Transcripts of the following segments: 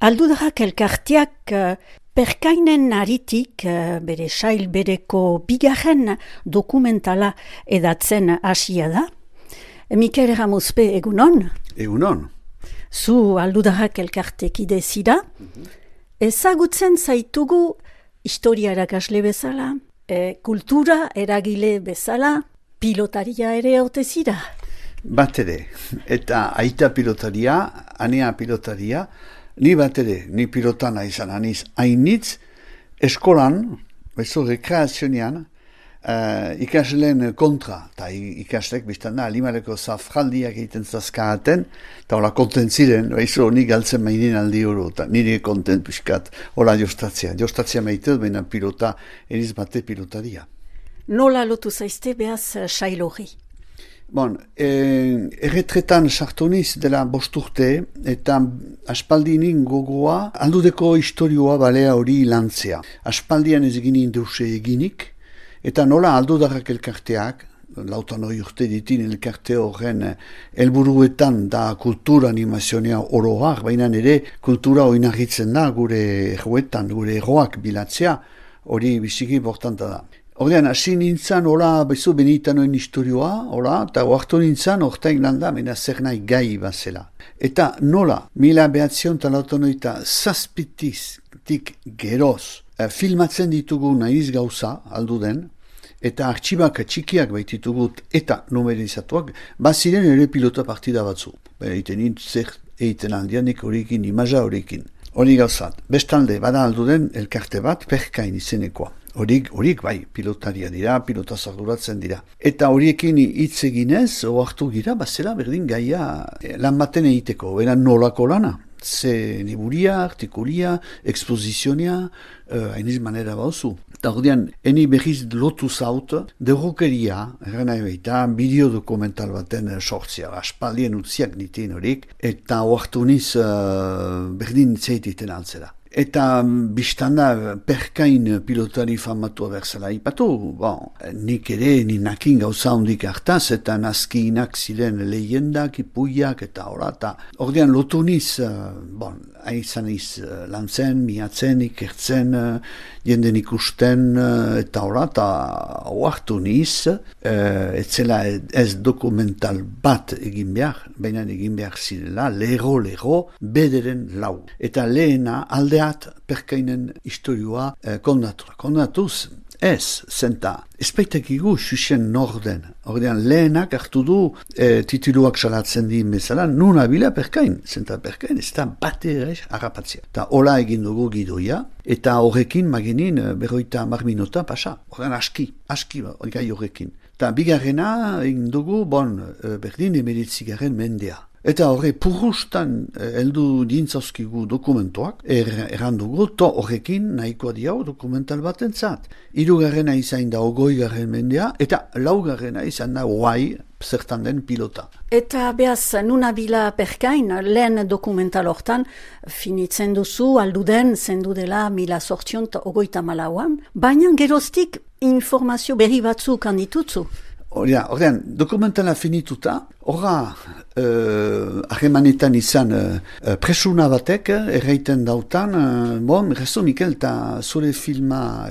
Aldudarrak elkarteak Perkainen aritik bere sail bereko bigarren dokumentala edatzen hasia da. Mikel Ramuzpe, egunon? Egunon. Zu Aldudarrak elkartekide zira. Ezagutzen zaitugu historia erakasle bezala, kultura eragile bezala, pilotaria ere ote zira. Bat ere, eta aita pilotaria, anea pilotaria, ni bat ere, ni pilotana izan aniz hainitz, eskolan, bezo rekreazionean, ikasleen kontra, eta ikaslek biztan da, alimareko zafraldiak egiten zazkaaten, eta hola kontent ziren, bezo ni galtzen mainin aldi hori, eta nire kontent piskat, hola jostatzia maite, baina pilota, eriz bate pilotaria. Nola lotu zaizte behaz sail hori? Bon, erretretan sartuniz dela 5 urte, eta aspaldinin gogoa, aldudeko historioa balea hori lantzea. Aspaldian ez eginin deuse eginik, eta nola aldudarrak elkarteak, lautan hori urte ditin elkarte horren helburuetan da kultura animazionea oroak, baina ere kultura oinarritzen da gure erroetan, gure erroak bilatzea, hori biziki importanta da. Ordean, hasi nintzen, hola, bezu benitanoen historioa, hola, eta oartu nintzen, ortaik landa, mena zer nahi gai bazela. Eta nola, 1987tik geroz, filmatzen ditugu nahiz gauza, aldu den, eta artxibak txikiak baititugut eta numerizatuak, baziren ere pilota partida batzu. Egiten zer egiten aldianik horiekin, imaja horiekin. Hori gauzat, bestalde, bada aldu den, elkarte bat, Perkain izenekoa. Horiek bai, pilotaria dira, pilotaz arduratzen dira. Eta horiekin hitz eginez, oartu gira, bazela berdin gaia lan baten egiteko, eran nolako lana. Ze liburia, artikulia, ekspozizionia, hainiz manera bauzu. Eta ordean, eni berriz lotu zaut, derrokeria, errena ebeita, bideo dokumental baten sortzia, aspaldien utziak nitien horiek, eta oartu niz berdin zeititen altzera. Eta biztanda Perkain pilotari famatua berzela ipatu, bon, nik ere ninakin gauza hondik hartaz, eta nazkiinak ziren lehendak, ipuiak, eta hola, eta ordean lotu niz, haizan iz lantzen, miatzen, ikertzen, jenden ikusten, eta hola, eta oartu niz, etzela ez dokumental bat egin behar, baina egin behar zirela, lero, bederen lau. Eta lehena aldeat Perkainen historioa kondatuz, ez, zenta, espaitek xuxen norden. Ordean lehenak hartu du tituluak salatzen dien bezala, nun abila Perkain, zenta Perkain ez da bate ere harrapatzea. Eta hola egin dugu gidoia, eta horrekin maginin 50 minuta pasa. Ordean aski gai horrekin. Eta bigarrena egin dugu, berdin 19 mendea. Eta horre purrustan heldu dintzauskigu dokumentoak, errandugu, to horrekin nahikoa diau dokumental bat entzat. 3. izan da 20. mendea, eta 4. izan da zertan den pilota. Eta behaz, nunabila Perkain, lehen dokumental hortan, finitzen duzu, alduden, zendu dela 1824an, baina geroztik informazio berri batzuk handitutzu. Ordean, dokumentala finituta, horra harremanetan izan presuna batek, erraiten dautan, rezo Mikel, eta zure filma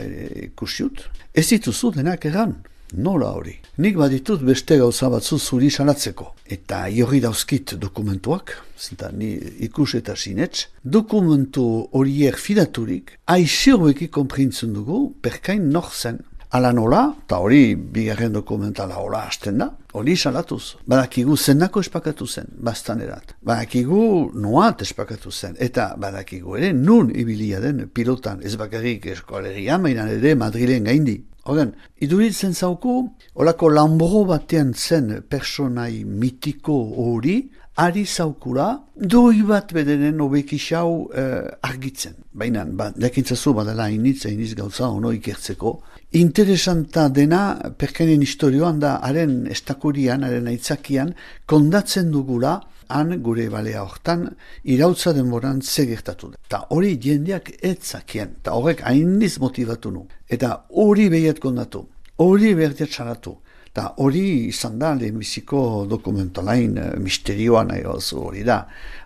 kusiut, ez dituzu denak erran, nola hori. Nik baditut beste gauza batzu zuri salatzeko. Eta jorri dauzkit dokumentuak, zenta ni ikus eta sinetx, dokumentu horiek fidaturik, aixirroeki konprintzen dugu, Perkain nor zen. Ala nola, eta hori bigarren dokumentala hola hasten da, hori salatuz. Badakigu zendako espakatu zen, bastanerat. Badakigu noat espakatu zen, eta badakigu ere nun ibilia den pilotan, ez bakarrik eskoalegian, mainan ere Madrilen gaindi. Horren, iduritzen zauku, holako lambro batean zen personai mitiko hori, ari zaukura, doi bat bedenen obekixau argitzen. Baina, jakintzazu badala hainitz gauza ono ikertzeko. Interesanta dena, Perkainen historioan da, haren estakurian, haren aitzakian, kondatzen dugula, han gure balea hortan, irautza denboran zegertatu da. Eta hori jendeak etzakien, eta horrek hainiz motivatu nu. Eta hori behiat kondatu, hori behiat txaratu. Eta hori izan da lehenbiziko dokumentalain misterioa nahi oso hori da.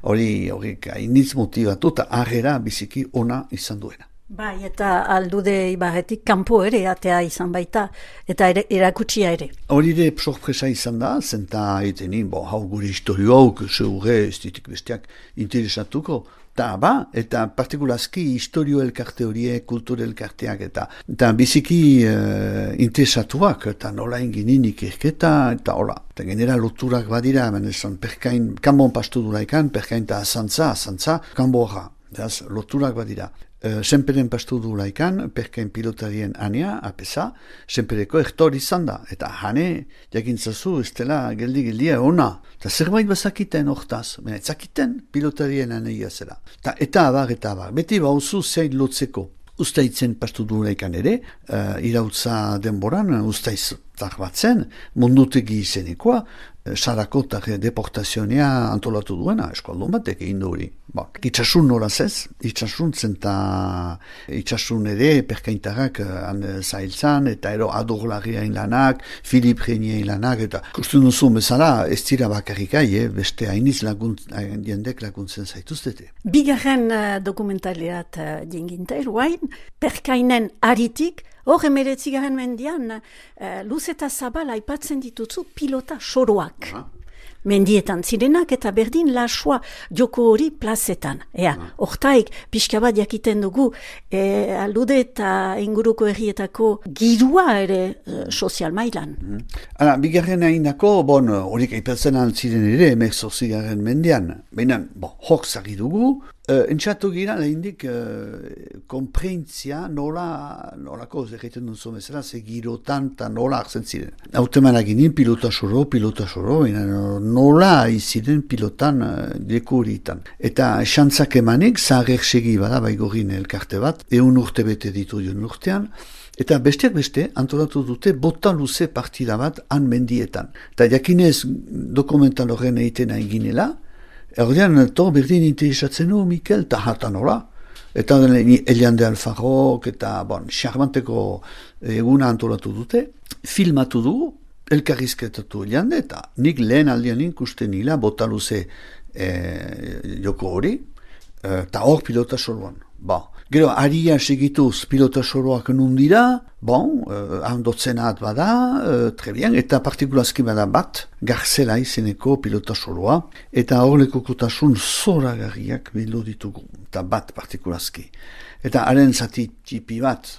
Hori hainitz motivatu eta harrera biziki ona izan duena. Bai, eta Aldude Ibarretik kanpo ere atea izan baita, eta erakutsia ere. Hori ere sorpresa izan da, zenta etenin, hau gure historio hau, zeure ez ditik besteak interesatuko, eta partikulazki historio elkarte horiek, kultur elkarteak, eta biziki interesatuak, eta nola inginin ikerketa, eta hola. Eta genera loturak badira, esan perkain, kanbon pastu duraikan, perkain eta azantza, kanborra, loturak badira. Senperen pastu du laikan, perkain pilotarien anea, apesa, senpereko ertor izan da. Eta hane, jakintzazu, ez dela geldi-geldia ona. Eta zerbait bazakiten hortaz, ez zakiten pilotarien aneia zela. Eta abar. Beti bauzu zein lotzeko. Ustaitzen pastu du laikan ere, irautza denboran, ustaiz batzen, mundutegi izenekoa, Sarakotak deportazionea antolatu duena, eskualdun batek egin du hori. Itxasun noraz ez, itxasun ere perkaintarrak zailtzan, eta ero Adorlarriain lanak, Filip Reiniain lanak, eta kusten duzu bezala ez dira bakarrikai, beste hainiz jendek laguntzen zaituztete. Bigarren dokumentaliat jenginte, eruain, perkainen aritik, hor 19. mendian, luz eta zabal aipatzen dituzu pilota soroak. Mendietan zirenak eta berdin lasua joko hori plazetan. Hortaik, pixka bat jakiten dugu, Aldude eta inguruko herrietako girua ere sozial mailan. Bigarren hainako, horik aipatzen altziren ere, 19. mendian. Baina, hor zagi dugu, entxatu gira lehindik konprentzia nolako egiten duzu bezala, ze girotan eta nola hartzen ziren. Hautemanak ginen pilota soro, nola iziren pilotan leku horitan. Eta xantzak emanik, zaharek segi bada baigorin elkarte bat, 100 urte bete ditu dion urtean, eta besteak beste antolatu dute bota luze partida bat han mendietan. Eta jakinez dokumental horren egiten eginela, erdean, berdin interesatzen du, Mikel, eta hatan hola. Eta Elian de Alfarrok, eta xarmanteko eguna antolatu dute, filmatu du, elkarrizketatu Elian, eta nik lehen aldean ikusten nila botaluze joko hori, eta hor pilota soroan. Gero, aria segituz pilota soroak nundira, handotzenat bada, trebian, eta partikulazki bada bat, Garzela izeneko pilota soroa, eta hor lekokutasun zoragarriak bildu ditugu, eta bat partikulazki. Eta haren zati txipi bat,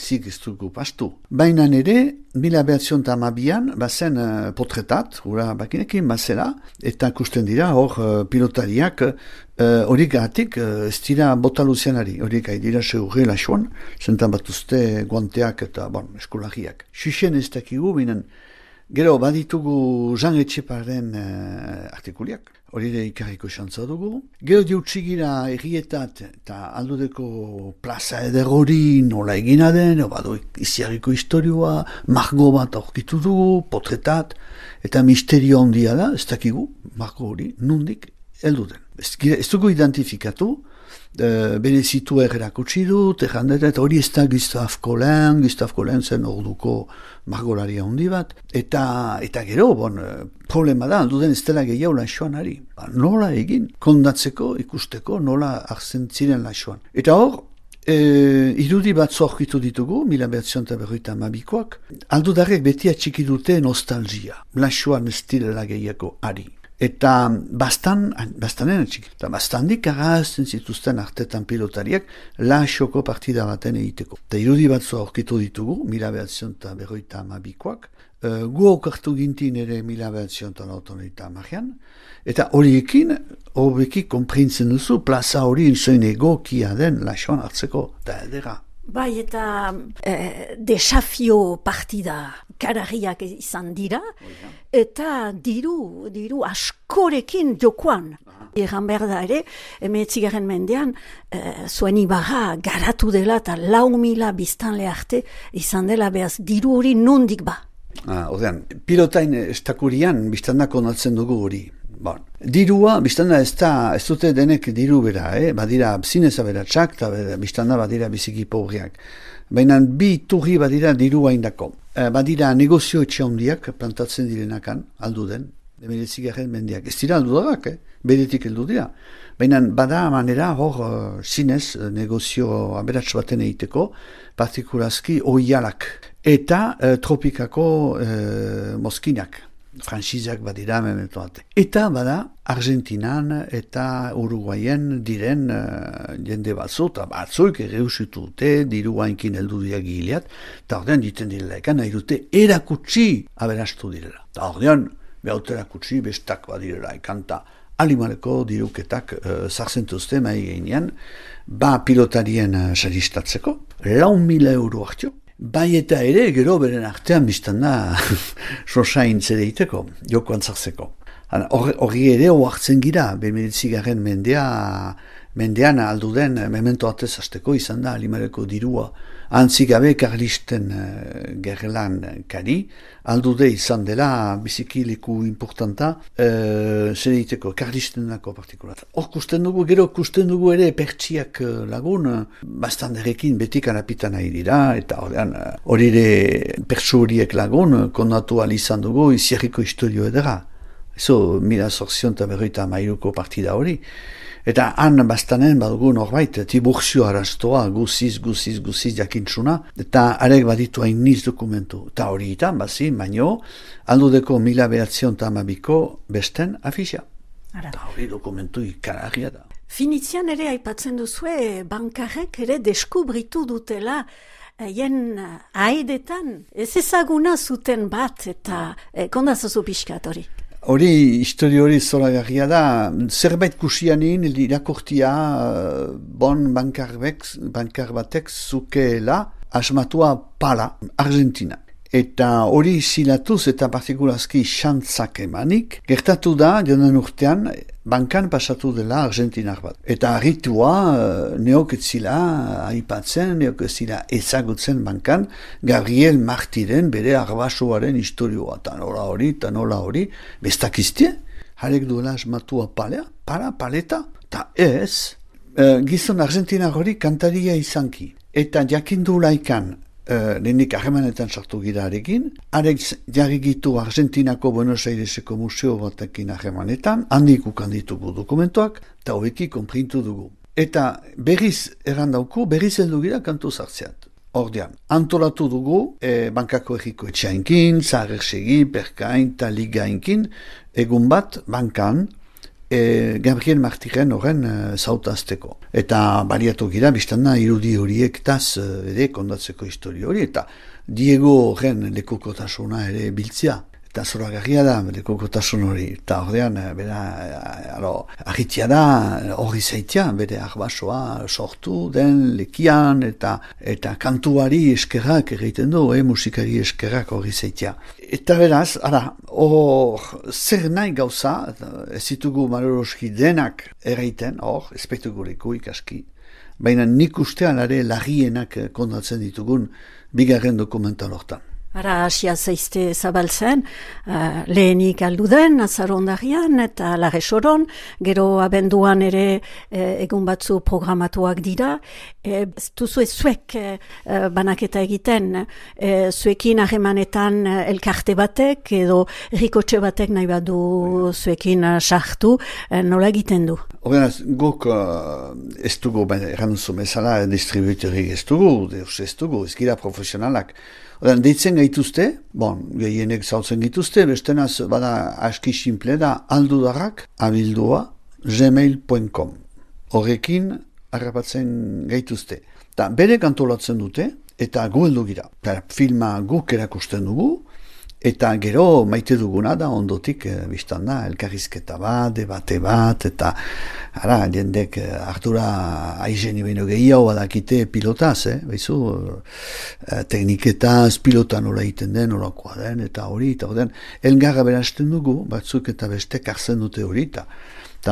zik ez dugu pastu. Baina ere, 1912an, bazen potretat, gura bakinekin bazela, eta kusten dira, hor pilotariak, horik gatik, ez dira botaluzianari, horik dira seurre lasuan, zentan batuzte guanteak eta eskolariak. Xuxen ez dakigu, binen, gero baditugu Jean Etxeparen artikuliak, hori ere ikarriko xantza dugu. Gero diutxigira errietat eta Aldudeko plaza eder hori nola egina den, badu iziarriko historioa, margo bat aurkitu dugu, potretat, eta misterio handia da, ez dakigu, margo hori, nundik heldu den. Ez dugu identifikatu, bere zitu errerak utzi dut, eta hori ez da Gustave Colin zen orduko margolaria handi bat, eta gero, problema da, alduden ez dela gehiago lasoan ari. Nola egin, kondatzeko, ikusteko, nola hartzen ziren lasoan. Eta hor, irudi bat zorkitu ditugu, 1952koak, aldudarrek beti atxiki dute nostalgia, lasoan ez direla gehiago ari. Eta bastanen atxik. Eta bastandik arazten zituzten artetan pilotariak lasoko partida baten egiteko. Eta irudi batzu aurkitu ditugu, 1952koak, gu aukartu gintin ere 1952an, eta horiekin, hobeki konprintzen duzu, plaza hori inzoin egokia den lasoan hartzeko, eta edera. Bai, eta desafio partida kararriak izan dira, eta diru askorekin jokoan. Egan behar da ere, 19. mendean, zuen ibarra garatu dela eta 4.000 biztanle arte izan dela behaz diru hori nondik ba. Pilotain estakurian biztandak onatzen dugu hori. Bon. Dirua, biztanda ez dute denek diru bera, badira zinez aberatsak, eta biztanda badira biziki pobreak. Baina bi turri badira dirua indako. Badira negozio etxe handiak plantatzen direnakan, aldu den, 19. mendiak. Ez dira aldu darak, beretik heldu dira. Baina bada manera hor zinez negozio aberats baten egiteko, partikulazki oialak eta tropikako mozkinak. Franxizak badira memento bat. Eta bada Argentinan eta Uruguayen diren jende batzu, eta batzuik erreusitu dute, diru hainkin heldu dira gileat, eta ordean diten direla ekan, nahi dute erakutsi aberastu direla. Eta ordean, behut erakutsi bestak badirela ekan, eta alimaleko diruketak zarzentuzte mai geinean, pilotarien saristatzeko, 4.000 euro hartio. Bai eta ere, gero beren artean biztanda sosain zedeiteko, joko antzartzeko. Horri ere oartzen gira, 19. mendean alduden memento atez azteko izan da alimareko dirua. Antzik gabe karlisten gerlan kari, aldude izan dela biziki leku importanta zedeiteko, karlistenako partikulat. Hor gero kusten dugu ere pertsiak lagun, bastanderekin betik anapitan nahi dira, eta hori ere pertsu horiek lagun, kondatu izan dugu izierriko historio edera. Eso, 1850 partida hori. Eta han bastanen badugu norbait, Tiburcio Arastoa, guziz jakintzuna, eta arek baditu hain niz dokumentu. Eta horietan, baino, aldudeko 1912ko besten afixia. Eta hori dokumentu ikaragia da. Finitzian ere aipatzen duzue, bankarrek ere deskubritu dutela jen haedetan, ez ezaguna zuten bat, eta kondazozu pixkat hori. Hori, histori hori zoragarria da, zerbait kusianin irakortia bon bankar batek zukeela asmatua pala, Argentina. Eta hori zilatuz eta partikulazki xantzak emanik, gertatu da, joan urtean, bankan pasatu dela Argentinar bat. Eta harritua neok etzila aipatzen, neok etzila ezagutzen bankan, Gabriel Martiren bere arbasoaren historioa. Ta nola hori, bestakiztie, harek duela asmatua paleta, eta ez, gizon Argentinar hori kantaria izanki. Eta jakindu laikan, lehenik harremanetan sartu gira arekin, arek jarrigitu Argentinako Buenos Aireseko museo batekin harremanetan, handik ukanditugu dokumentuak, eta hobeki konprintu dugu. Eta berriz errandauku, berriz heldu gira kantu zartzeat. Ordean, antolatu dugu, bankako egiko etxainkin, zaharersegi, perkain, eta ligainkin, egun bat, bankan, Gabriel Martiren horren zautazteko. Eta baliatu gira, biztana irudi horiek taz ere kondatzeko histori hori, eta Diego horren lekukotasuna ere biltzia. Eta zoragarria da lekukotasun hori. Eta ordean, ahitia da, hori zaitia, bere arbasoa sortu den lekian, eta kantuari eskerrak egiten du, musikari eskerrak hori zaitia. Eta beraz, zer nahi gauza, ez ditugu maloroski denak erraiten, espektugu leku ikaski, baina nik ustean are larrienak kondatzen ditugun bigarren dokumental hortan. Ara asia zaizte zabaltzen, lehenik alduden, azarondarian eta laresoron, gero abenduan ere egun batzu programatuak dira. Duzue zuek banaketa egiten, zuekin harremanetan elkarte batek edo rikotxe batek nahi badu zuekin sartu, nola egiten du? Horrenaz, guk ez dugu, erranduzu bezala, distribuitorik ez dugu, ez gira profesionalak. Deitzen gaituzte, gehienek zautzen gaituzte, bestenaz bada aski simple da aldudarrak@gmail.com. Horrekin harrapatzen gaituzte. Ta bere kantolatzen dute eta gu heldu gira. Filma guk erakusten dugu eta gero maite duguna da ondotik biztanda elkarrizketa bat, debate bat, eta jendek ardura aizeni baino gehiago badakite pilotaz, tekniketaz, pilota nola egiten den, nolakoa den, eta hori, elgarra berazten dugu, batzuk eta bestek hartzen dute hori, eta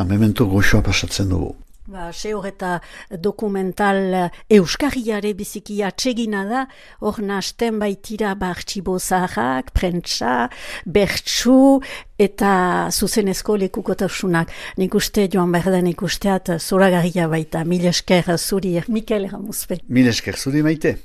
memento goxoa pasatzen dugu. Seur eta dokumental euskarriare biziki atsegina da, hor nasten baitira artxibo zaharrak, prentsa, bertsu eta zuzenezko lekukotasunak. Nik uste joan behar den ikusteat zoragarria baita. Mil esker zuri, Mikel Ramuzpe. Mil esker zuri Maite.